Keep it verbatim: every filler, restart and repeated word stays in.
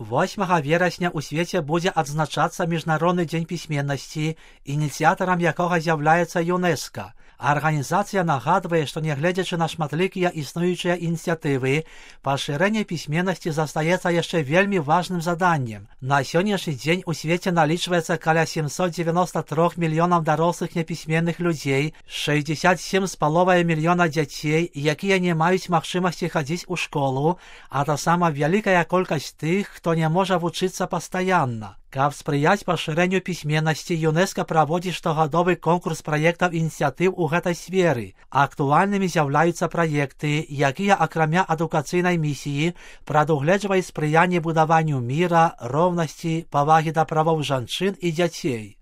восьмага верасня ў свеце будзе адзначацца Міжнародны дзень пісьменнасці, ініцыятарам якога з'яўляецца ЮНЕСКО. Арганізацыя нагадвае, што нягледзячы на шматлікія існуючыя ініцыятывы, пашырэнне пісьменнасці застаецца яшчэ вельмі важным заданнем. На сённяшні дзень у свеце налічваецца каля сямсот дзевяноста трох мільёнаў дарослых непісьменных людзей, шэсцьдзесят сем з паловай мільёна дзяцей, якія не маюць магчымасці хадзіць у школу, а таксама вялікая колькасць тых, хто не можа вучыцца пастаянна. Каб спрыяць пашырэнню пісьменнасці, ЮНЕСКО праводзіць штогадовы конкурс праектаў ініцыятыў у гэтай сферы. Актуальнымі з'яўляюцца праекты, якія акрамя адукацыйнай місіі прадугледжваюць спрыянне будаванню міра, роўнасці, павагі да правоў жанчын і дзяцей.